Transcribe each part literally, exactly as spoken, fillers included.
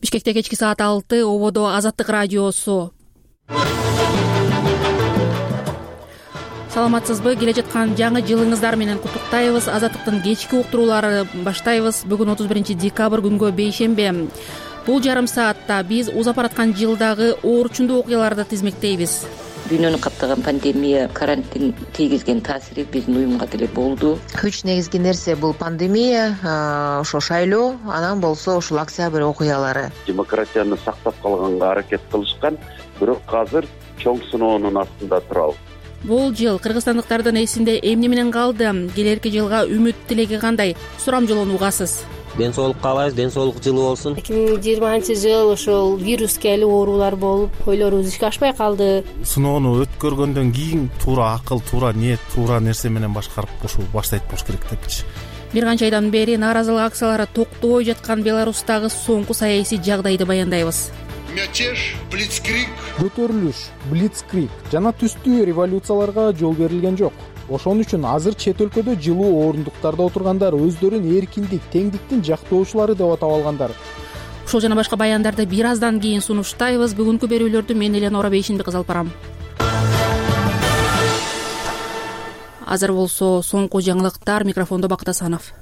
Бишкекте кечки саат алты, ободо Азаттык радиосу. Саламатсызбы? Келе жаткан жаңы жылыңыздар менен куттуктайбыз. Азаттыктын кечки уктуруулары баштайбыз. Бүгүн отуз биринчи декабрь күнгө бейшембе. Бул жарым саатта биз узап бараткан жылдагы оорчундуу окуяларды тизмектейбиз. Дүйнөнү каптаган пандемия, карантин тийгизген таасири биздин уюмга деле болду. Үч негизги нерсе бул пандемия, ошо шайлоо, анан болсо ушул октябрь окуялары. Демократияны сактап калганга аракет кылышкан, бирок азыр чоң сыноонун астында турабыз. Бул жыл кыргызстандыктардын эсинде эмне менен калды? Келерки жылга үмүт тилеги кандай? Сурам жолун угасыз. Ден соолук каалайбыз, ден соолук жылы болсун. эки миң жыйырманчы жыл ошол вирус келип оорулар болуп, ойлорубуз ишке ашпай калды. Сыноону өткөргөндөн кийин туура акыл, туура ниет, туура нерсе менен башкарып ушул баштайт болуш керек депчи. Бир канча айдан бери нааразылык акциялары токтобой жаткан Беларустагы соңку саясий жагдайды баяндайбыз. Мятеж, блицкриг. Көтөрүлүш, блицкриг жана түстүү революцияларга жол берилген жок. Ошон үчүн азыр чет өлкөдө жылуу орундуктарда отургандар өздөрүн эркиндик, теңдиктин жактоочулары деп атап алгандар. Ушул жана башка баяндарды бир аздан кийин сунуштайбыз. Бүгүнкү берүүлөрдү мен Элена Бейшенбек алып барам. Азыр болсо соңку жаңылыктар, микрофондо Бакыт Асанов.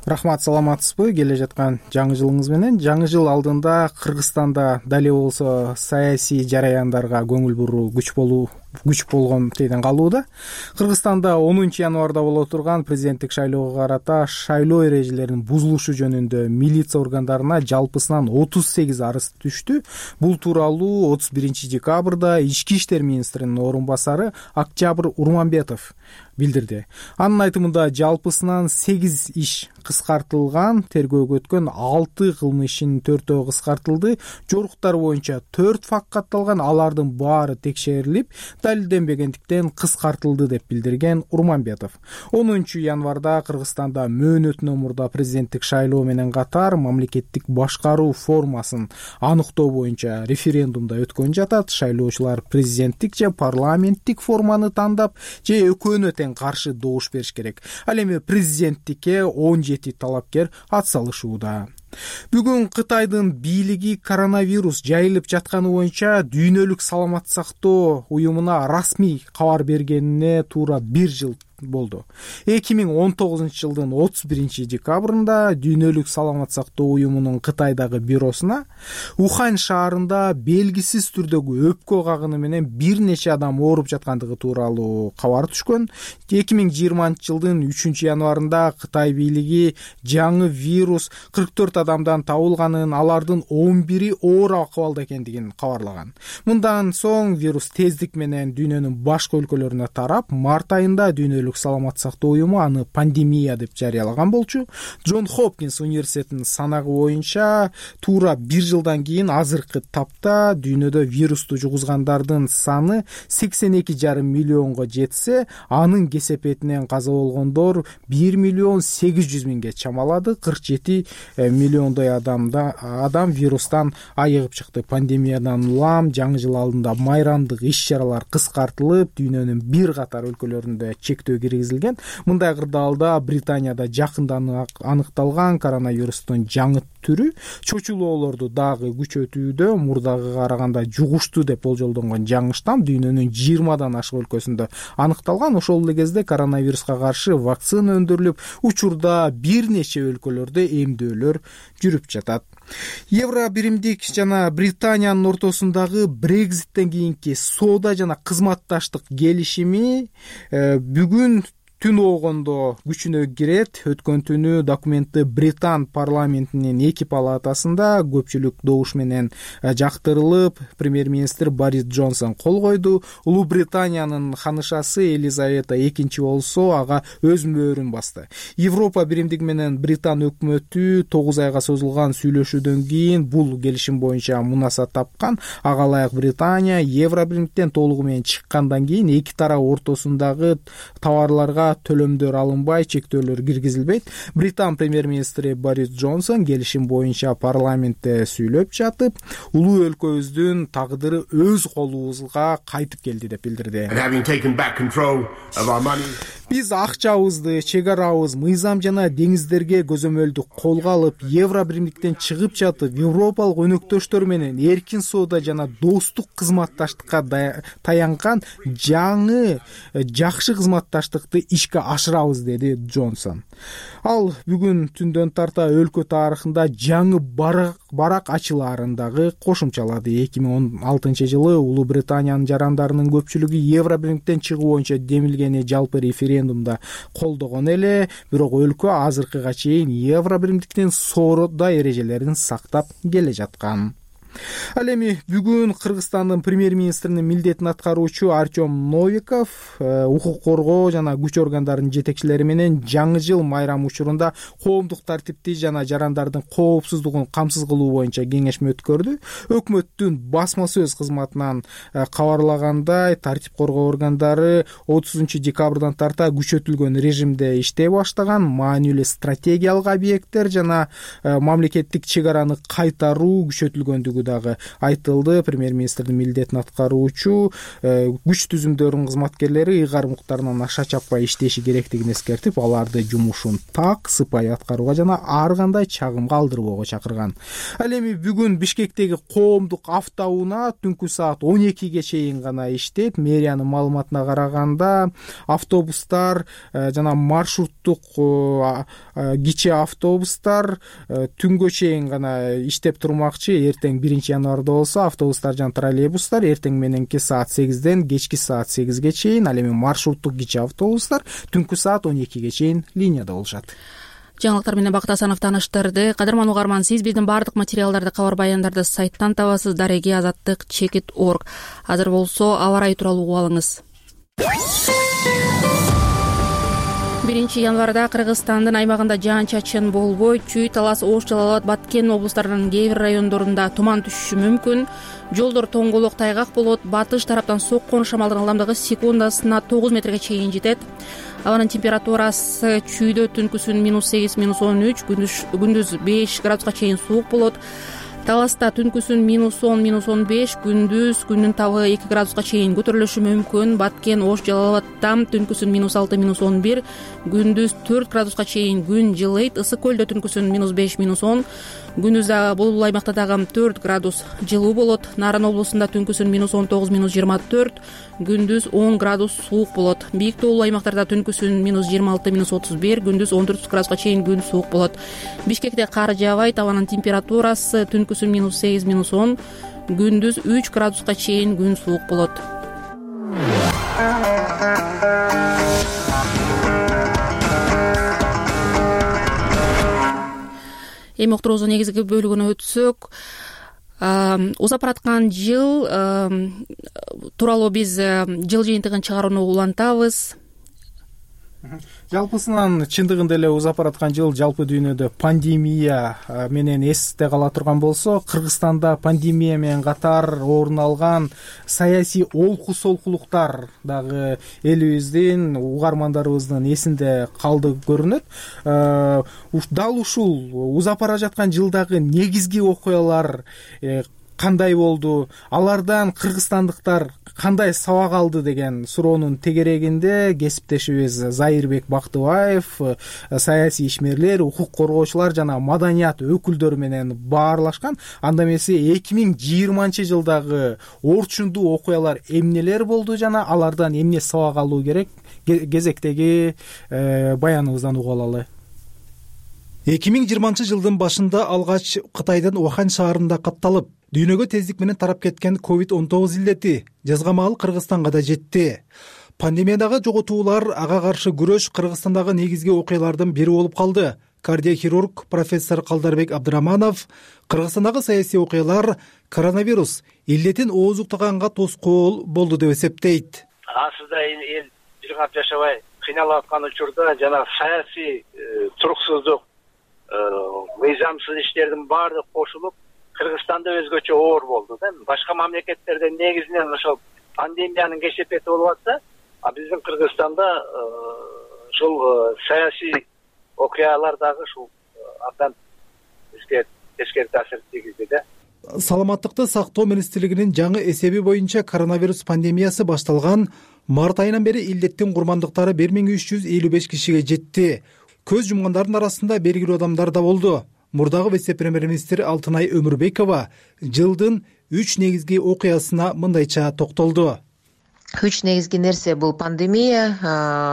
Рахмат, саламатсызбы? Келе жаткан жаңы жылыңыз менен. Жаңы жыл алдында Кыргызстанда дале болсо саясий жараяндарга көңүл буруу күч болуу күч болгон тейден калууда. Кыргызстанда онунчу январда боло турган президенттик шайлоого карата шайлоо эрежелеринин бузулушу жөнүндө милиция органдарына жалпысынан отуз сегиз арыз түштү. Бул тууралуу отуз биринчи декабрда ички иштер министринин орун басары Октябрь Урманбетов билдирди. Анын айтымында жалпысынан сегиз иш кыскартылган, тергөөгө өткөн алты кылмыш ишинин төртөө кыскартылды. Жоруктар боюнча төрт факт катталган, алардын баары текшерилип, далилденбегендиктен кыскартылды деп билдирген Урманбетов. онунчу январда Кыргызстанда мөөнөтүнөн мурда президенттик шайлоо менен катар мамлекеттик башкаруу формасын аныктоо боюнча референдумда өткөн жатат. Шайлоочулар президенттик же парламенттик форманы тандап, же экөөнө тең каршы добуш бериш керек. Ал эми президенттикке он жети талапкер ат салышууда. Бүгүн Кытайдын бийлиги коронавирус жайылып жатканы боюнча Дүйнөлүк саламаттык сактоо уюмуна расмий кабар бергенине туура бир жыл болду. эки миң он тогузунчу жылдын отуз биринчи декабрында Дүйнөлүк саламаттык сактоо уюмунун Кытайдагы бюросуна Ухань шаарында белгисиз түрдөгү өпкө кагыны менен бир нече адам ооруп жаткандыгы тууралуу кабар түшкөн. эки миң жыйырманчы жылдын үчүнчү январында Кытай бийлиги жаңы вирус кырк төрт адамдан табылганын, алардын он бири оор акыбалда экендигин кабарлаган. Мындан соң вирус тездик менен дүйнөнүн башка өлкөлөрүнө тарап, март айында Дүйнөлүк саламаттык сактоо уюму аны пандемия деп жарыялаган болчу. Джон Хопкинс университетинин санагы боюнча туура бир жылдан кийин азыркы тапта дүйнөдө вирусту жугузгандардын саны сексен эки жарым миллионго жетсе, анын кесепетинен каза болгондор бир миллион сегиз жүз миңге чамалады. кырк жети миллиондой адамда адам вирустан айыгып чыкты. Пандемиядан улам жаңы жыл алдында майрамдык иш-чаралар кыскартылып, дүйнөнүн бир катар өлкөлөрүндө чектөө киргизилген. Мындай кырдаалда Британияда жакында аныкталган коронавирустун жаңы түрү чочулоолорду дагы күчөтүүдө. Мурдагы караганда жугуштуу деп болжолдонгон жаңы штамм дүйнөнүн жыйырмадан ашык өлкөсүндө аныкталган. Ошол эле кезде коронавируска каршы вакцина өндүрүлүп, учурда бир нече өлкөлөрдө эмдөөлөр жүрүп жатат. Евро биримдик жана Британиянын ортосундагы Брекзиттен кийинки соода жана кызматташтык келишими бүгүн түн огондо күчүнө кирет. Өткөн түнү документти Британ парламентинин эки палатасында көпчүлүк добуш менен жактырылып, премьер-министр Борис Джонсон кол койду. Улуу Британиянын ханышасы Елизавета экинчи болсо ага өз мөөрүн басты. Европа биримдиги менен Британ өкмөтү тогуз айга созулган сүйлөшүүдөн кийин бул келишим боюнча мунаса тапкан. Ага ылайык Британия Евро биримдиктен толугу менен чыккандан кийин эки тарап ортосундагы товарларга төлөмдөр алынбай, чектөөлөр киргизилбейт. Британ премьер-министри Борис Джонсон келишим боюнча парламентте сүйлөп жатып, улуу өлкөбүздүн тагдыры өз колубузга кайтып келди деп билдирди. Биз акчабызды, чек арабыз, мыйзам жана деңиздерге көзөмөлдү колго алып, евро биримдиктен чыгып жатып, европалык өнөктөштөр менен эркин соода жана достук кызматташтыкка таянган жаңы жакшы кызматташтыкты ишке ашырабыз, деди Джонсон. Ал бүгүн түндөн тарта өлкө тарыхында жаңы барак ачылаарын дагы кошумчалады. эки миң он алтынчы жылы Улуу Британиянын жарандарынын көпчүлүгү евро биримдиктен чыгуу боюнча демилгени жалпы референдумда колдогон эле, бирок өлкө азыркыга чейин евро биримдиктин соода эрежелерин сактап келе жаткан. Ал эми бүгүн Кыргызстандын премьер-министринин милдетин аткаруучу Артем Новиков укук коргоо жана күч органдарынын жетекчилери менен жаңы жыл майрамы учурунда коомдук тартипти жана жарандардын коопсуздугун камсыз кылуу боюнча кеңешме өткөрдү. Өкмөттүн басма сөз кызматынан кабарлагандай, тартип коргоо органдары отузунчу декабрдан тарта күчөтүлгөн режимде иштей баштаган, маанилүү стратегиялык объекттер жана мамлекеттик чек араны кайтаруу күчөтүлгөндүгү дагы айтылды. Премьер-министрдин милдетин аткаруучу күч түзүмдөрүнүн кызматкерлери ыйгар муктарынан аша чаппай иштеши керектигин эскертип, аларды жумушун так, сыпайы аткарууга жана ар кандай чагымга алдырбоого чакырган. Ал эми бүгүн Бишкектеги коомдук автоунаа түнкү саат он экиге чейин гана иштейт. Мэриянын маалыматына караганда, автобустар жана маршруттук кичи автобустар түнгө чейин гана иштеп турмакчы. Эртең биринчи январда болсо автобустар жана троллейбустар эртең мененки саат сегизден кечки саат сегизге чейин, ал эми маршруттук кичи автобустар түнкү саат он экиге чейин линияда болушат. Жаңылыктар менен Бакыт Асанов тааныштырды. Кадырман угарман, сиз биздин баардык материалдарды, кабар баяндарды сайттан табасыз, дареги азаттык чекит точка орг. Азыр болсо аба ырайы тууралуу угуп алыңыз. биринчи январда Кыргызстандын аймагында жаан-чачын болбой, Чүй, Талас, Ош, Жалал Абад, Баткен облустарынын кээ бир райондорунда туман түшүшү мүмкүн. Жолдор тоңголок, тайгак болот. Батыш тараптан соккон шамалдын ылдамдыгы секундасына тогуз метрге чейин жетет. Абанын температурасы Чүйдө түнкүсүн минус сегиз, минус он үч, күндүз беш градуска чейин суук болот. Таласта түнкүсүн минус он, минус он беш, күндүз күндүн табы эки градуска чейин көтөрүлүшү мүмкүн. Баткен, Ош, Жалал Абадта түнкүсүн минус алты, минус он бир, күндүз төрт градуска чейин күн жылыйт. Ысык көлдө түнкүсүн минус беш, минус он, күндүз бул аймакта дагы төрт градус жылуу болот. Нарын облусунда түнкүсүн минус он тогуз, минус жыйырма төрт, күндүз он градус суук болот. Бийик тоолуу аймактарда түнкүсүн минус жыйырма алты, минус отуз бир, күндүз он төрт градуска чейин күн суук болот. Бишкекте кар жаабайт. Абанын температурасы түнкүсүн минус сегиз, минус он, күндүз үч градуска чейин күн суук болот. Эми уктуруубуздун негизги бөлүгүнө өтсөк, узап бараткан жыл тууралуу биз жыл жыйынтыгын чыгарууну улантабыз. Жалпысынан чындыгында эле узап бараткан жыл жалпы дүйнөдө пандемия менен эсте кала турган болсо, Кыргызстанда пандемия менен катар орун алган саясий олку солкулуктар дагы элибиздин, угармандарыбыздын эсинде калды көрүнөт. Дал ушул узап бара жаткан жылдагы негизги окуялар кандай болду, алардан кыргызстандыктар кандай сабак алды деген суроонун тегерегинде кесиптешибиз Зайырбек Бактыбаев саясий ишмерлер, укук коргоочулар жана маданият өкүлдөрү менен баарлашкан. Анда эмесе эки миң жыйырманчы жылдагы орчундуу окуялар эмнелер болду жана алардан эмне сабак алуу керек, кезектеги баяныбыздан угуп алалы. эки миң жыйырманчы жылдын башында алгач Кытайдын Ухань шаарында катталып, дүйнөгө тездик менен тарап кеткен ковид он тогуз илдети жазга маал Кыргызстанга да жетти. Пандемиядагы жоготуулар, ага каршы күрөш Кыргызстандагы негизги окуялардын бири болуп калды. Кардиохирург профессор Калдарбек Абдыраманов Кыргызстандагы саясий окуялар коронавирус илдетин ооздуктаганга тоскоол болду деп эсептейт. Асында эл жыргап жашабай кыйналып аткан учурда жана саясий туруксуздук, мыйзамсыз иштердин баардыгы кошулуп Кыргызстанда өзгөчө оор болду да. Башка мамлекеттерде негизинен ошол пандемиянын кесепети болуп атса, а биздин Кыргызстанда ушул саясий окуялар дагы ушул абдан бизге тескери таасир тийгизди да. Саламаттыкты сактоо министрлигинин жаңы эсеби боюнча коронавирус пандемиясы башталган март айынан бери илдеттин курмандыктары бир миң үч жүз элүү беш кишиге жетти. Көз жумгандардын арасында белгилүү адамдар да болду. Мурдагы вице-премьер-министр Алтынай Өмүрбекова жылдын үч негизги окуясына мындайча токтолду. Үч негизги нерсе бул пандемия,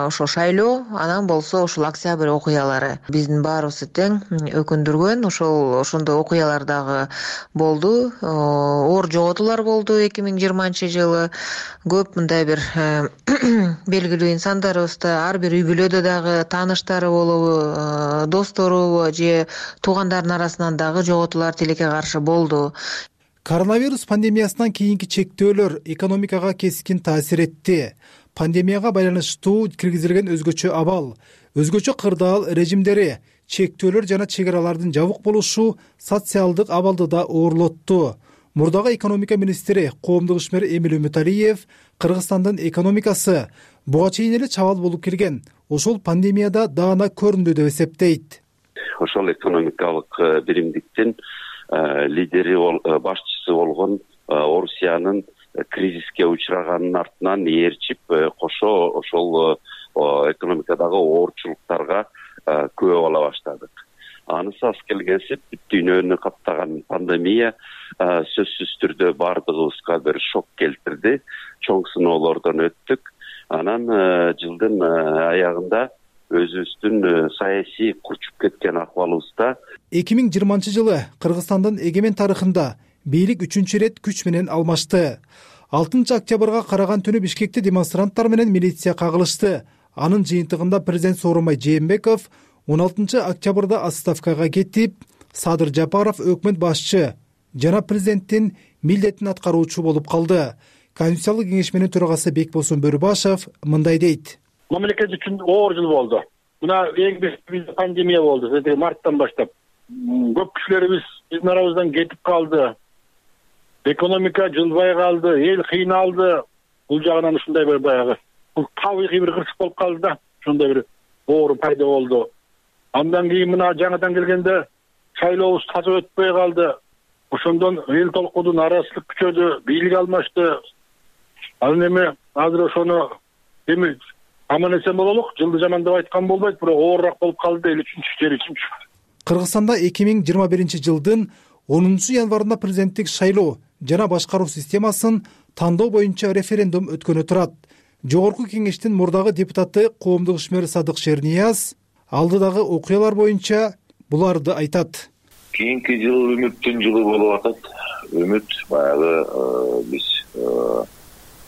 ошо шайлоо, анан болсо ушул октябрь окуялары. Биздин баарыбызды тең өкүндүргөн ошол ошондой окуялар дагы болду. Оор жоготуулар болду эки миң жыйырманчы жылы. Көп мындай бир белгилүү инсандарыбызды ар бир үй бүлөдө дагы тааныштары болобу, достору же туугандардын арасынан дагы жоготуулар тилекке каршы болду. Коронавирус пандемиясынан кийинки чектөөлөр экономикага кескин таасир этти. Пандемияга байланыштуу киргизилген өзгөчө абал, өзгөчө кырдаал режимдери, чектөөлөр жана чек аралардын жабык болушу социалдык абалды да оорлотту. Мурдагы экономика министри коомдук ишмер Эмил Үмүталиев Кыргызстандын экономикасы буга чейин эле чабал болуп келген, ошол пандемияда даана көрүндү деп эсептейт. Ошол экономикалык биримдиктин лидери башчысы болгон Орусиянын кризиске учраганын артынан ээрчип, кошо ошол экономикадагы оорчулуктарга күбө ала баштадык. Анысы аз келгенсип бүт дүйнөнү каптаган пандемия сөзсүз түрдө бардыгыбызга бир шок келтирди. Чоң сыноолордон өттүк. Анан жылдын аягында өзүбүздүн саясий курчуп кеткен акыбалыбызда эки миң жыйырманчы жылы Кыргызстандын эгемен тарыхында бийлик үчүнчү ирет күч менен алмашты. алтынчы октябрга караган түнү Бишкекте демонстранттар менен милиция кагылышты. Анын жыйынтыгында президент Сооронбай Жээнбеков он алтынчы октябрда отставкага кетип, Садыр Жапаров өкмөт башчы жана президенттин милдетин аткаруучу болуп калды. Конституциялык кеңешменин төрагасы Бекбосун Бөрүбашев мындай дейт. Мамлекет үчүн оор жыл болду. Мына эң бизде пандемия болду. Марттан баштап көп кишилерибиз биздин арабыздан кетип калды. Экономика жылбай калды, эл кыйналды. Бул жагынан ушундай бир баягы бул табигый бир кырсык болуп калды да. Ошондой бир оор пайда болду. Андан кийин мына жаңадан келгенде шайлообуз таза өтпөй калды. Ошондон эл толкудун арасыздык күчөдү, бийлик алмашты. Ал эми азыр ошону эми аман эсен бололук, жылды жамандап айткан болбойт, бирок оорураак болуп калды эл үчүнчү жер үчүнчү. Кыргызстанда эки миң жыйырма биринчи жылдын онунчу январында президенттик шайлоо жана башкаруу системасын тандоо боюнча референдум өткөнү турат. Жогорку кеңештин мурдагы депутаты коомдук ишмер Садык Шернияз алдыдагы окуялар боюнча буларды айтат. Кийинки жыл үмүттүн жылы болуп атат. Үмүт баягы биз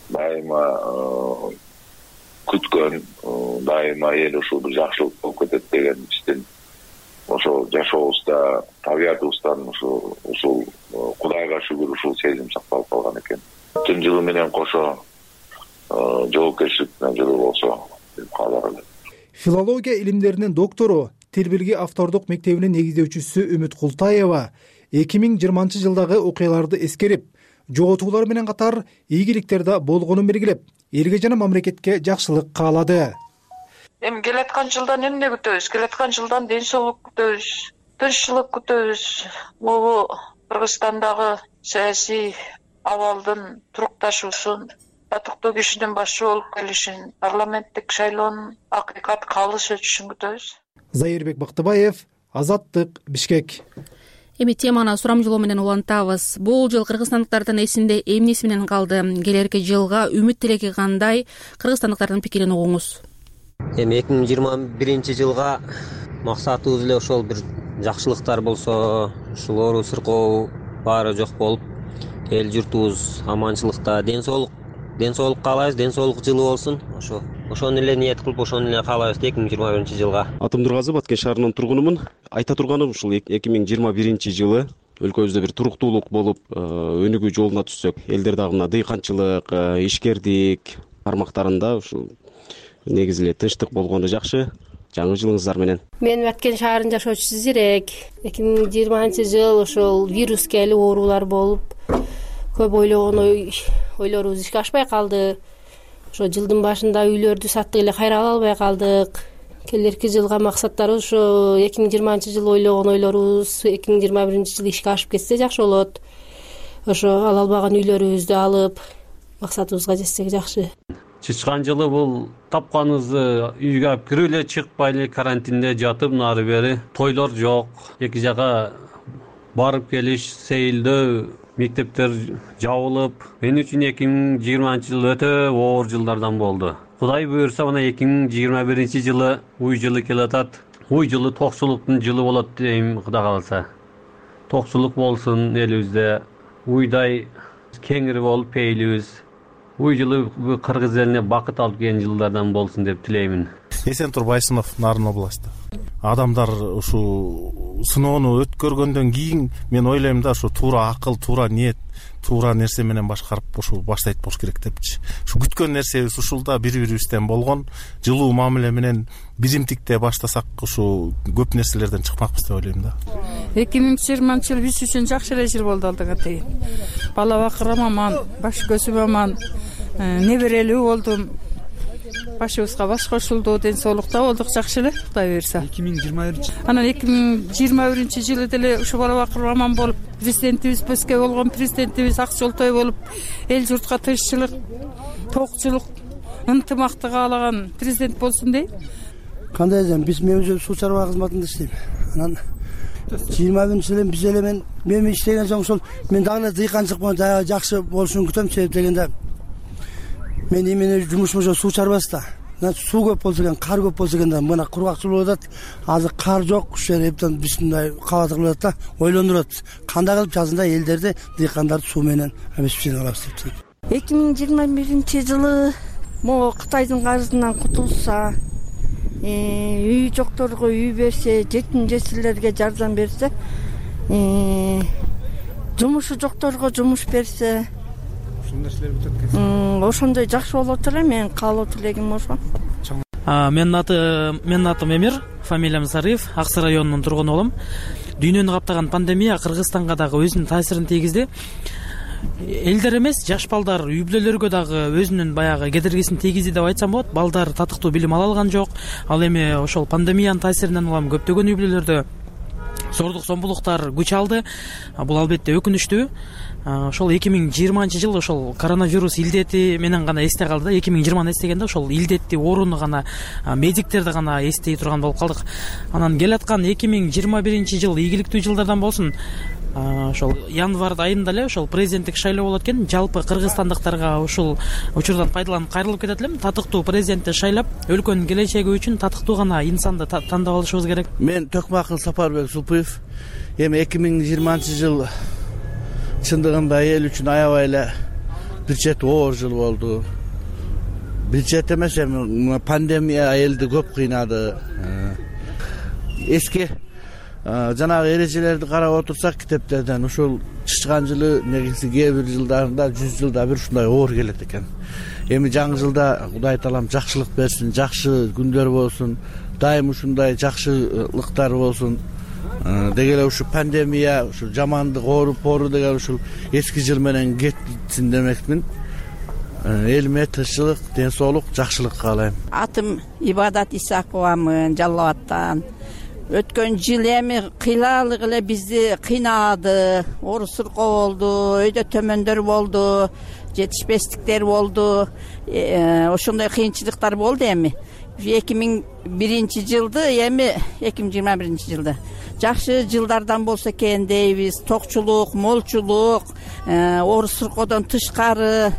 дайыма күткөн, дайыма эл ушул бир жакшылык болуп кетет деген биздин ошо жашообузда, табиятыбыздан ушул ушул Кудайга шүгүр ушул сезим сакталып калган экен. Бүтүн жылы менен кошо жоопкерчилик менен жылы болсо деп каалар. Филология илимдеринин доктору, Тил билги автордук мектебинин негиздөөчүсү Үмүт Култаева эки миң жыйырманчы жылдагы окуяларды эскерип, жоготуулар менен катар ийгиликтер да болгонун белгилеп, элге жана мамлекетке жакшылык каалады. Эми келаткан жылдан эмне күтөбүз? Келаткан жылдан ден соолук күтөбүз, тынччылык күтөбүз. Могу Кыргызстандагы саясий абалдын турукташуусун, татыктуу кишинин башчы болуп келишин, парламенттик шайлоонун акыйкат калыс өтүшүн күтөбүз. Зайырбек Бактыбаев, Азаттык, Бишкек. Эми теманы сурамжылоо менен улантабыз. Бул жыл кыргызстандыктардын эсинде эмнеси менен калды? Келерки жылга үмүт тилеки кандай? Кыргызстандыктардын пикирин угуңуз. Эми эки миң жыйырма биринчи жылга максатыбыз эле ошол бир жакшылыктар болсо, ушул оору сыркоо баары жок болуп, эл журтубуз аманчылыкта, ден соолук, ден соолук каалайбыз, ден соолук жылы болсун. Ошо ошону эле ниет кылып, ошону эле каалайбыз эки миң жыйырма биринчи жылга. Атым Нургазы, Баткен шаарынын тургунумун. Айта турганым ушул эки миң жыйырма биринчи жылы өлкөбүздө бир туруктуулук болуп, өнүгүү жолуна түшсөк, элдер дагы мына дыйканчылык, ишкердик тармактарында ушул негизи эле тынчтык болгону жакшы. Жаңы жылыңыздар менен. Мен Баткен шаарынын жашоочусу Зирек. эки миң жыйырманчы жыл ошол вирус келип оорулар болуп, көп ойлогон ой ойлорубуз ишке ашпай калды. Ошо жылдын башында үйлөрдү саттык эле кайра ала албай калдык. келерки жылга максаттары ошо эки миң жыйырманчы жылы ойлогон ойлорубуз эки миң жыйырма биринчи жылы ишке ашып кетсе жакшы болот. Ошо ала албаган үйлөрүбүздү алып максатыбызга жетсек жакшы. Чычкан жылы бул тапканыбызды үйгө алып кирип эле чыкпай эле карантинде жатып, нары бери тойлор жок. Эки жака барып келиш, сейилдөө, мектептер жабылып. Мен үчүн эки миң жыйырманчы жыл өтө оор жылдардан болду. Кудай буйрса, мына эки миң жыйырма биринчи жылы уй жылы келатат. Уй жылы токчулуктун жылы болот дейм, Кудай кааласа. Токчулук болсун элибизде. Уйдай кеңири болуп пейлибиз. Уй жылы кыргыз элине бакыт алып келген жылдардан болсун деп тилеймин. Эсентур Байсынов, Нарын областы. Адамдар ушул сыноону өткөргөндөн кийин мен ойлойм да, ушу туура акыл, туура ниет, туура нерсе менен башкарып ушул баштайт болуш керек депчи. Ушу күткөн нерсебиз ушул да, бири-бирибизден болгон жылуу мамиле менен биримтикте баштасак ушул көп нерселерден чыкмакпыз деп ойлойм да. эки миң жыйырманчы жыл биз үчүн жакшы эле жыл болду алдыга чейин. Бала бакырам аман, баш көзүм аман, неберелүү болдум. Башыбызга баш кошулду, ден соолукта болдук, жакшы эле, Кудай буйрса. эки миң жыйырма биринчи Анан эки миң жыйырма биринчи жылы деле ушу бала бакырып аман болуп, президентибиз бөскө болгон президентибиз ак жолтой болуп, эл журтка тынччылык, токчулук, ынтымакты каалаган президент болсун дейм. Кандай экен, биз мен өзү суу чарба кызматында иштейм. Анан жыйырма биринчи жылы биз эле мен мен иштеген соң ошол мен дагы эле дыйканчылык менен дагы жакшы болушун күтөм. Себеп дегенде мен эмне жумушум ошо суу чарбасы да. Суу көп болсо экен, кар көп болсо экен да, мына кургакчылык болуп атат. Азыр кар жок, ушул жер эптен биз мындай кабат кылып атат да, ойлондурат. Кандай кылып жазында элдерди, дыйкандарды суу менен обеспечение кылабыз деп. эки миң жыйырма биринчи жылы могу Кытайдын карызынан кутулса, үй жокторго үй берсе, жетим жесирлерге жардам берсе, жумушу жокторго жумуш берсе, ошондой жакшы болот эле. Мен каалоо тилегим ошо. Менин аты менин атым Эмир, фамилиям Зарыев, Аксы районунун тургуну болом. Дүйнөнү каптаган пандемия Кыргызстанга дагы өзүнүн таасирин тийгизди. Элдер эмес, жаш балдар, үй бүлөлөргө дагы өзүнүн баягы кедергисин тийгизди деп айтсам болот. Балдар татыктуу билим ала алган жок. Ал эми ошол пандемиянын таасиринен улам көптөгөн үй бүлөлөрдө зордук зомбулуктар күч алды. Бул албетте өкүнүчтүү. Ошол эки миң жыйырманчы жыл ошол коронавирус илдети менен гана эсте калды да. эки миң жыйырманы эстегенде ошол илдетти, ооруну гана, медиктерди гана эстей турган болуп калдык. Анан келаткан эки миң жыйырма биринчи жыл ийгиликтүү жылдардан болсун. Ошол январь айында эле ошол президенттик шайлоо болот экен. Жалпы кыргызстандыктарга ушул учурдан пайдаланып кайрылып кетет элем. Татыктуу президентти шайлап, өлкөнүн келечеги үчүн татыктуу гана инсанды тандап алышыбыз керек. Мен Токмакыл Сапарбек Сулпуев. Эми эки миң жыйырманчы жыл чындыгында эл үчүн аябай эле бир чет оор жыл болду. Бир чет эмес, эми пандемия элди көп кыйнады. Эски жанагы эрежелерди карап отурсак китептерден, ушул чычкан жылы негизи кээ бир жылдарында жүз жылда бир ушундай оор келет экен. Эми жаңы жылда Кудай таалам жакшылык берсин, жакшы күндөр болсун, дайым ушундай жакшылыктар болсун. Деги эле ушу пандемия, ушу жамандык, ооруп оору деген ушул эски жыл менен кетсин демекмин. Элиме тынччылык, ден соолук, жакшылык каалайм. Атым Ибадат Исаковамын, Жалал Абадтан. Өткөн жыл эми кыйлаалык эле бизди кыйнады, оору суркоо болду, өйдө төмөндөр болду, жетишпестиктер болду, ошондой кыйынчылыктар болду. Эми эки миң биринчи жылды эми эки миң жыйырма биринчи жылда жакшы жылдардан болсо экен дейбиз. Токчулук, молчулук, оору суркоодон тышкары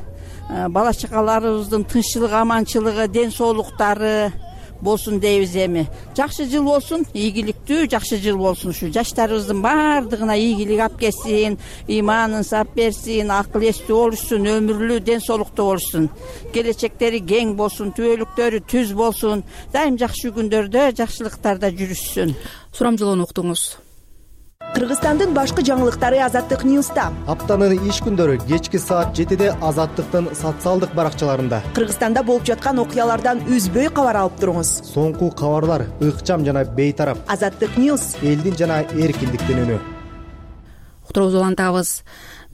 бала чакаларыбыздын тынччылыгы, аманчылыгы, ден соолуктары болсун дейбиз. Эми жакшы жыл болсун, ийгиликтүү жакшы жыл болсун. Ушу жаштарыбыздын баардыгына ийгилик алып келсин, ыйманын сап берсин, акыл эстүү болушсун, өмүрлүү, ден соолуктуу болушсун. Келечектери кең болсун, түбөлүктөрү түз болсун, дайым жакшы күндөрдө, жакшылыктарда жүрүшсүн. Сурамжылоону уктуңуз. Кыргызстандын башкы жаңылыктары Азаттык Ньюста. Аптанын иш күндөрү кечки саат жетиде Азаттыктын социалдык баракчаларында. Кыргызстанда болуп жаткан окуялардан үзбөй кабар алып туруңуз. Соңку кабарлар ыкчам жана бейтарап. Азаттык Ньюс. Элдин жана эркиндиктин үнү. уктуруубузду улантабыз.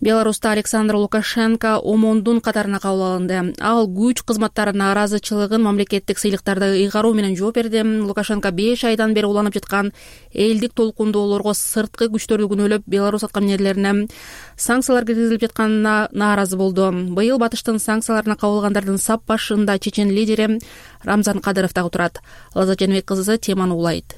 Беларуста Александр Лукашенко ОМОНдун катарына кабыл алынды. Ал күч кызматтарынын нааразычылыгын мамлекеттик сыйлыктарды ыйгаруу менен жооп берди. Лукашенко беш айдан бери уланып жаткан элдик толкундоолорго сырткы күчтөрдү күнөөлөп, Беларусь аткаминерлерине санкциялар киргизилип жатканына нааразы болду. Быйыл батыштын санкцияларына кабылгандардын сап башында чечен лидери Рамзан Кадыров дагы турат. Лаззат Жаныбек кызы теманы улайт.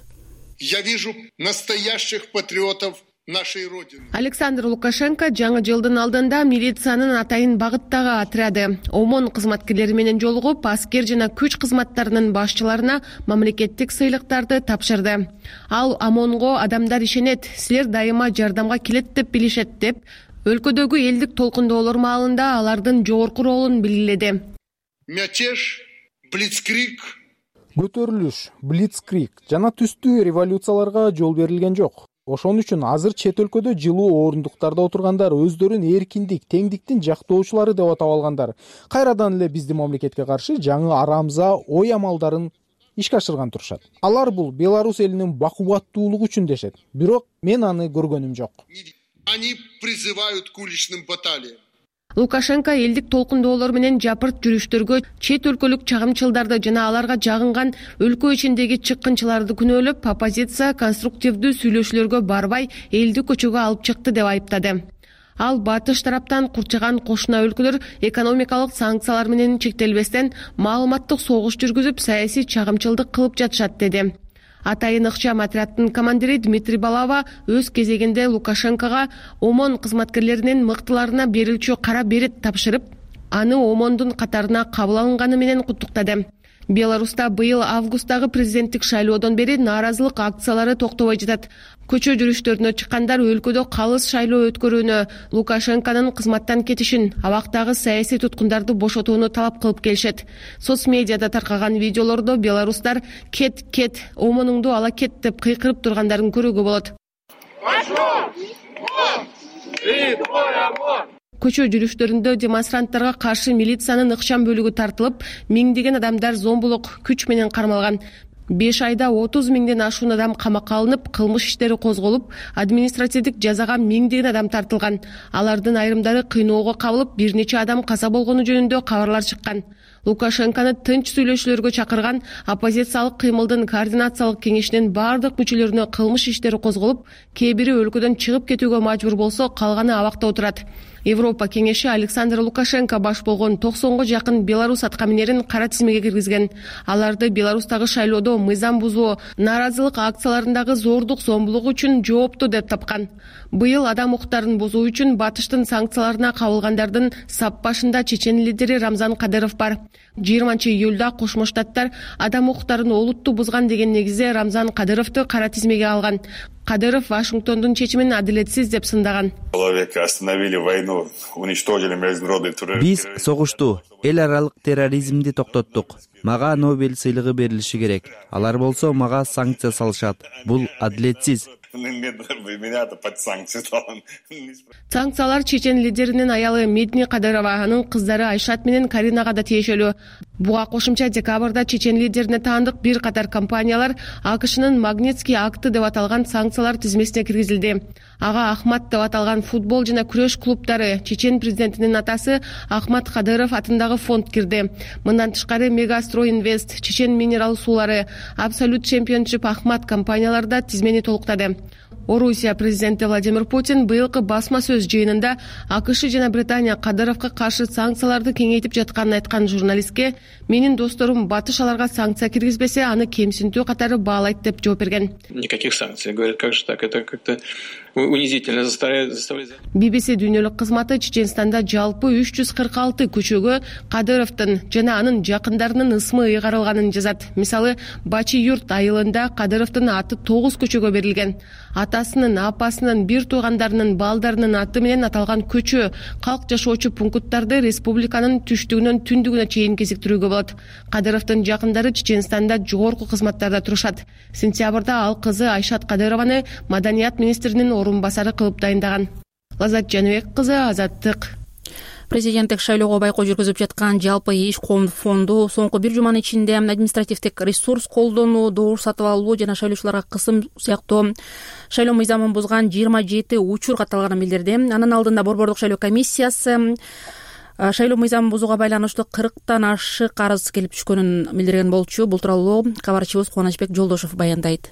Я вижу настоящих патриотов нашей Родины. Александр Лукашенко жаңы жылдын алдында милициянын атайын багыттагы отряды ОМОН кызматкерлери менен жолугуп, аскер жана күч кызматтарынын башчыларына мамлекеттик сыйлыктарды тапшырды. Ал ОМОНго адамдар ишенет, силер дайыма жардамга келет деп билишет деп, өлкөдөгү элдик толкундоолор маалында алардын жогорку ролун белгиледи. Мятеж, блицкриг, көтөрүлүш, блицкриг жана түстүү революцияларга жол берилген жок. Ошон үчүн азыр чет өлкөдө жылуу орундуктарда отургандар өздөрүн эркиндик, теңдиктин жактоочулары деп атап алгандар кайрадан эле биздин мамлекетке каршы жаңы арамза ой амалдарын ишке ашырган турушат. Алар бул Беларусь элинин бакубаттуулугу үчүн дешет. Бирок мен аны көргөнүм жок. Они призывают к уличным баталиям. Лукашенко элдик толкундоолор менен жапырт жүрүштөргө, чет өлкөлүк чагымчылдарды жана аларга жагынган өлкө ичиндеги чыккынчыларды күнөөлөп, оппозиция конструктивдүү сүйлөшүүлөргө барбай элди көчөгө алып чыкты деп айыптады. Ал батыш тараптан курчаган кошуна өлкөлөр экономикалык санкциялар менен чектелбестен маалыматтык согуш жүргүзүп, саясий чагымчылдык кылып жатышат деди. Атайын ыкчам отряддын командири Дмитрий Балава өз кезегинде Лукашенкого ОМОН кызматкерлеринин мыктыларына берилчү кара берет тапшырып, аны ОМОНдун катарына кабыл алынганы менен куттуктады. Беларуста быйыл августтагы президенттик шайлоодон бери нааразылык акциялары токтобой жатат. Көчө жүрүштөрүнө чыккандар өлкөдө калыс шайлоо өткөрүүнү, Лукашенконун кызматтан кетишин, абактагы саясий туткундарды бошотууну талап кылып келишет. Соц медиада таркаган видеолордо беларустар кет кет, ОМОНуңду ала кет деп кыйкырып тургандарын көрүүгө болот. Көчө жүрүштөрүндө демонстранттарга каршы милициянын ыкчам бөлүгү тартылып, миңдеген адамдар зомбулук күч менен кармалган. беш айда отуз миңден ашуун адам камакка алынып, кылмыш иштери козголуп, административдик жазага миңдеген адам тартылган. Алардын айрымдары кыйноого кабылып, бир нече адам каза болгону жөнүндө кабарлар чыккан. Лукашенкону тынч сүйлөшүүлөргө чакырган оппозициялык кыймылдын координациялык кеңешинин бардык мүчөлөрүнө кылмыш иштери козголуп, кээ бири өлкөдөн чыгып кетүүгө мажбур болсо, калганы абакта отурат. Европа кеңеши Александр Лукашенко баш болгон токсонго жакын Беларусь аткаминерин кара тизмеге киргизген. Аларды Беларустагы шайлоодо мыйзам бузуу, нааразылык акцияларындагы зордук, зомбулук үчүн жоопту деп тапкан. Быйыл адам укуктарын бузуу үчүн батыштын санкцияларына кабылгандардын сап башында чечен лидери Рамзан Кадыров бар. жыйырманчы июлда Кошмо Штаттар адам укуктарын олуттуу бузган деген негизде Рамзан Кадыровду кара тизмеге алган. Кадыров Вашингтондун чечимин адилетсиз деп сындаган. Остановили войну, уничтожили международный терроризм. Биз согушту, эл аралык терроризмди токтоттук. Мага Нобель сыйлыгы берилиши керек. Алар болсо мага санкция салышат. Бул адилетсиз. Санкциялар чечен лидеринин аялы Медни Кадырова, анын кыздары Айшат менен Каринага да тиешелүү. Буга кошумча декабрда чечен лидерине таандык бир катар компаниялар АКШнын Магнитский акты деп аталган санкциялар тизмесине киргизилди. Ага Ахмат деп аталган футбол жана күрөш клубдары, чечен президентинин атасы Ахмат Кадыров атындагы фонд кирди. Мындан тышкары Мегастрой Инвест, чечен минерал суулары, Абсолют Чемпионшип Ахмат компаниялары да тизмени толуктады. Орусия президенти Владимир Путин быйылкы басма сөз жыйынында АКШ жана Британия Кадыровго каршы санкцияларды кеңейтип жатканын айткан журналистке менин досторум батыш аларга санкция киргизбесе, аны кемсинтүү катары баалайт деп жооп берген. Никаких санкций. Говорят, как же так? Это как-то унизительно заставляет. би би си дүйнөлүк кызматы Чеченстанда жалпы үч жүз кырк алты көчөгө Кадыровдун жана анын жакындарынын ысмы ыйгарылганын жазат. Мисалы, Бачи юрт айылында Кадыровдун аты тогуз көчөгө берилген. Атасынын, апасынын, бир туугандарынын, балдарынын аты менен аталган көчө, калк жашоочу пункттарды республиканын түштүгүнөн түндүгүнө чейин кезиктирүүгө болот. Кадыровдун жакындары Чеченстанда жогорку кызматтарда турушат. Сентябрда ал кызы Айшат Кадырованы маданият министринин орун басары кылып дайындаган. Лаззат Жаныбек кызы, Азаттык. Президенттик шайлоого байкоо жүргүзүп жаткан Жалпы иш коомдук фонду соңку бир жуманын ичинде административдик ресурс колдонуу, добуш сатып алуу жана шайлоочуларга кысым сыяктуу шайлоо мыйзамын бузган жыйырма жети учур катталганын билдирди. Анын алдында Борбордук шайлоо комиссиясы шайлоо мыйзамын бузууга байланыштуу кырктан ашык арыз келип түшкөнүн билдирген болчу. Бул тууралуу кабарчыбыз Кубанычбек Жолдошов баяндайт.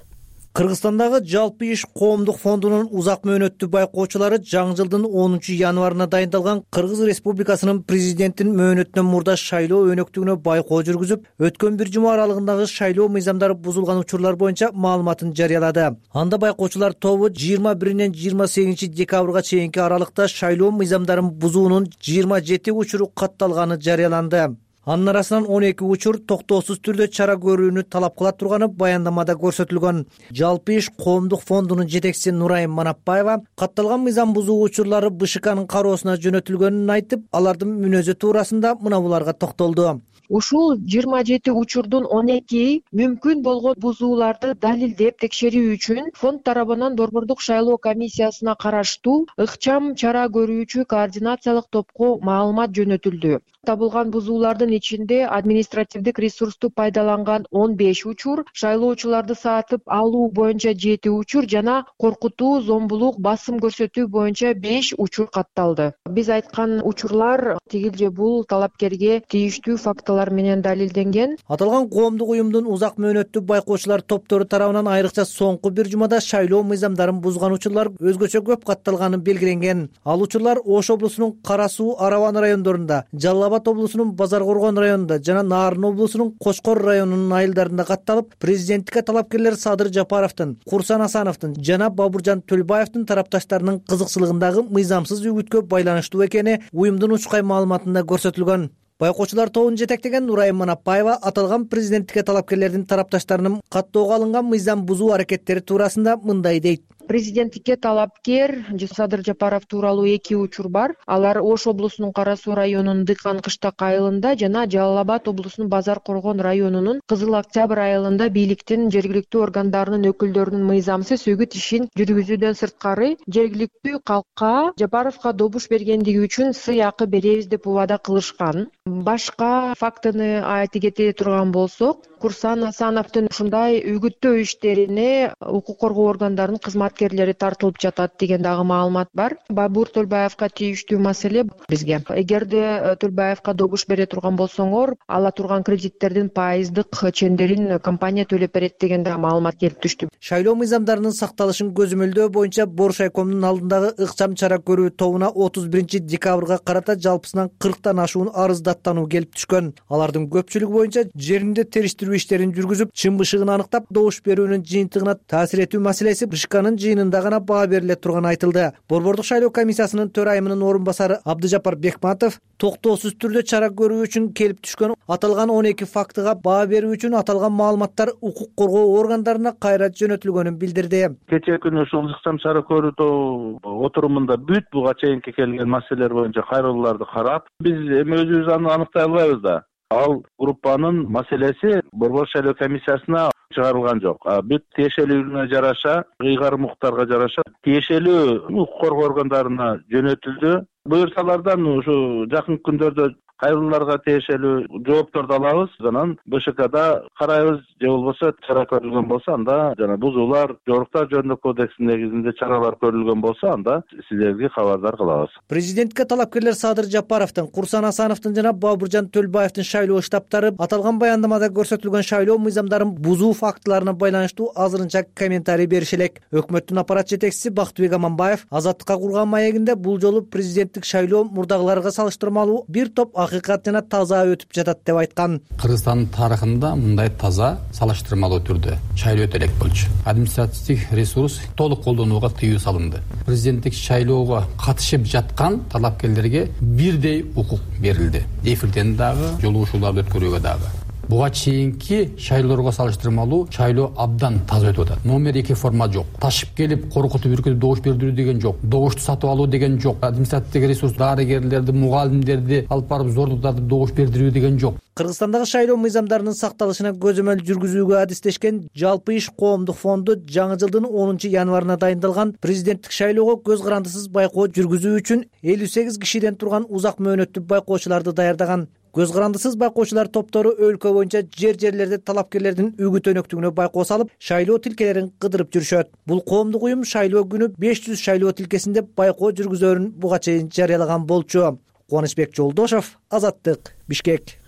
Кыргызстандагы Жалпы иш коомдук фондунун узак мөөнөттүү байкоочулары жаңы жылдын онунчу январына дайындалган Кыргыз Республикасынын президентинин мөөнөтүнөн мурда шайлоо өнөктүгүнө байкоо жүргүзүп, өткөн бир жума аралыгындагы шайлоо мыйзамдары бузулган учурлар боюнча маалыматын жарыялады. Анда байкоочулар тобу жыйырма биринен жыйырма сегизинчи декабрга чейинки аралыкта шайлоо мыйзамдарын бузуунун жыйырма жети учуру катталганы жарыяланды. Анын арасынан он эки учур токтоосуз түрдө чара көрүүнү талап кыла турганы баяндамада көрсөтүлгөн. Жалпы иш коомдук фондунун жетекчиси Нурайым Манапбаева катталган мыйзам бузуу учурлары Бэ Ш Кнын кароосуна жөнөтүлгөнүн айтып, алардын мүнөзү туурасында мына буларга токтолду. Ушул жыйырма жети учурдун он эки мүмкүн болгон бузууларды далилдеп текшерүү үчүн фонд тарабынан Борбордук шайлоо комиссиясына караштуу ыкчам чара көрүүчү координациялык топко маалымат жөнөтүлдү. Табылган бузуулардын ичинде административдик ресурсту пайдаланган он беш учур, шайлоочуларды сатып алуу боюнча жети учур жана коркутуу, зомбулук, басым көрсөтүү боюнча беш учур катталды. Биз айткан учурлар тигил же бул талапкерге тийиштүү фактылар менен далилденген. Аталган коомдук уюмдун узак мөөнөттүү байкоочулар топтору тарабынан айрыкча соңку бир жумада шайлоо мыйзамдарын бузган учурлар өзгөчө көп катталганы белгиленген. Ал учурлар Ош облусунун Кара Суу, Арабан райондорунда, Жалал Абад облусунун Базар Коргон районунда жана Нарын облусунун Кочкор районунун айылдарында катталып, президенттикке талапкерлер Садыр Жапаровдун, Курсан Асановдун жана Бабуржан Төлбаевдин тарапташтарынын кызыкчылыгындагы мыйзамсыз үгүткө байланыштуу экени уюмдун учкай маалыматында көрсөтүлгөн. Байкоочулар тобун жетектеген Нурайым Манапбаева аталган президенттикке талапкерлердин тарапташтарынын каттоого алынган мыйзам бузуу аракеттери туурасында мындай дейт. Президенттикке талапкер Садыр Жапаров тууралуу эки учур бар. Алар Ош облусунун Кара Суу районунун Дыкан Кыштак айылында жана Жалал Абад облусунун Базар Коргон районунун Кызыл Октябрь айылында бийликтин жергиликтүү органдарынын өкүлдөрүнүн мыйзамсыз үгүт ишин жүргүзүүдөн сырткары жергиликтүү калкка Жапаровго добуш бергендиги үчүн сый акы беребиз деп убада кылышкан. Башка фактыны айта кете турган болсок, Курсан Асановдун ушундай үгүттөө иштерине укук коргоо органдарынын кызматкерлери тартылып жатат деген дагы маалымат бар. Бабур Төлбаевга тийиштүү маселе бизге. Эгерде Төлбаевга добуш бере турган болсоңор, ала турган кредиттердин пайыздык чендерин компания төлөп берет деген дагы маалымат келип түштү. Шайлоо мыйзамдарынын сакталышын көзөмөлдөө боюнча Боршайкомдун алдындагы ыкчам чара көрүү тобуна отуз биринчи декабрга карата жалпысынан кырктан ашуун арыздаттануу келип түшкөн. Алардын көпчүлүгү боюнча жеринде териштирүү иштерин жүргүзүп, чын бышыгын аныктап, добуш берүүнүн жыйынтыгына таасир этүү маселеси Бэ Ш Кнын жыйынында гана баа бериле турганы айтылды. Борбордук шайлоо комиссиясынын төрайымынын орун басары Абдыжапар Бекматов токтоосуз түрдө чара көрүү үчүн келип түшкөн аталган он эки фактыга баа берүү үчүн аталган маалыматтар укук коргоо органдарына кайра жөнөтүлгөнүн билдирди. Кечээ күнү ушул ыкчам чара көрүү отурумунда бүт буга чейинки келген маселелер боюнча кайрылууларды карап, биз эми өзүбүз аны аныктай албайбыз да. Ал группанын маселеси Борбор шайлоо комиссиясына чыгарылган жок. Бүт тиешелүүлүгүнө жараша, ыйгарым укуктарга жараша тиешелүү укук коргоо органдарына жөнөтүлдү. Буюрсалардан ушу жакын күндөрдө кайрылууларга тиешелүү жоопторду алабыз. Анан Бэ Ш Кда карайбыз, же болбосо чара көрүлгөн болсо, анда жана бузуулар жоруктар жөнүндө кодекстин негизинде чаралар көрүлгөн болсо, анда сиздерге кабардар кылабыз. Президентке талапкерлер Садыр Жапаровдун, Курсан Асановдун жана Бабуржан Төлбаевдин шайлоо штабтары аталган баяндамада көрсөтүлгөн шайлоо мыйзамдарын бузуу фактыларына байланыштуу азырынча комментарий бериш элек. Өкмөттүн аппарат жетекчиси Бактыбек Аманбаев Азаттыкка курган маегинде бул жолу президенттик шайлоо мурдагыларга салыштырмалуу бир топ акыйкат жана таза өтүп жатат деп айткан. Кыргызстандын тарыхында мындай таза, салыштырмалуу түрдө шайлоо өтө элек болчу. Административдик ресурс толук колдонууга тыюу салынды. Президенттик шайлоого катышып жаткан талапкерлерге бирдей укук берилди. Эфирден дагы, жолугушууларды өткөрүүгө дагы. буга чейинки шайлоолорго салыштырмалуу шайлоо абдан таза өтүп атат. Номер эки форма жок. Ташып келип коркутуп үркүтүп добуш бердирүү деген жок. Добушту сатып алуу деген жок. Административдик ресурс, дарыгерлерди, мугалимдерди алып барып зордуктатып добуш бердирүү деген жок. Кыргызстандагы шайлоо мыйзамдарынын сакталышына көзөмөл жүргүзүүгө адистешкен Жалпы иш коомдук фонду жаңы жылдын онунчу январына дайындалган президенттик шайлоого көз карандысыз байкоо жүргүзүү үчүн элүү сегиз кишиден турган узак мөөнөттүү байкоочуларды даярдаган. Көз карандысыз байкоочулар топтору өлкө боюнча жер жерлерде талапкерлердин үгүт өнөктүгүнө байкоо салып, шайлоо тилкелерин кыдырып жүрүшөт. Бул коомдук уюм шайлоо күнү беш жүз шайлоо тилкесинде байкоо жүргүзөөрүн буга чейин жарыялаган болчу. Кубанычбек Жолдошов, Азаттык, Бишкек.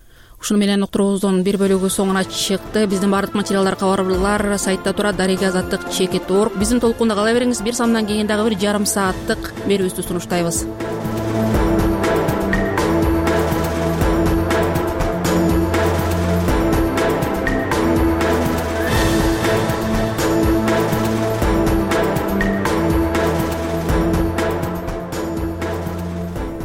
Ушуну менен уктуруубуздун бир бөлүгү соңуна чыкты. Биздин баардык материалдар, кабарлар сайтта турат. Дареги азаттык чекит точка орг. Биздин толкунда кала бериңиз. Бир самдан кийин дагы бир жарым сааттык берүүбүздү сунуштайбыз.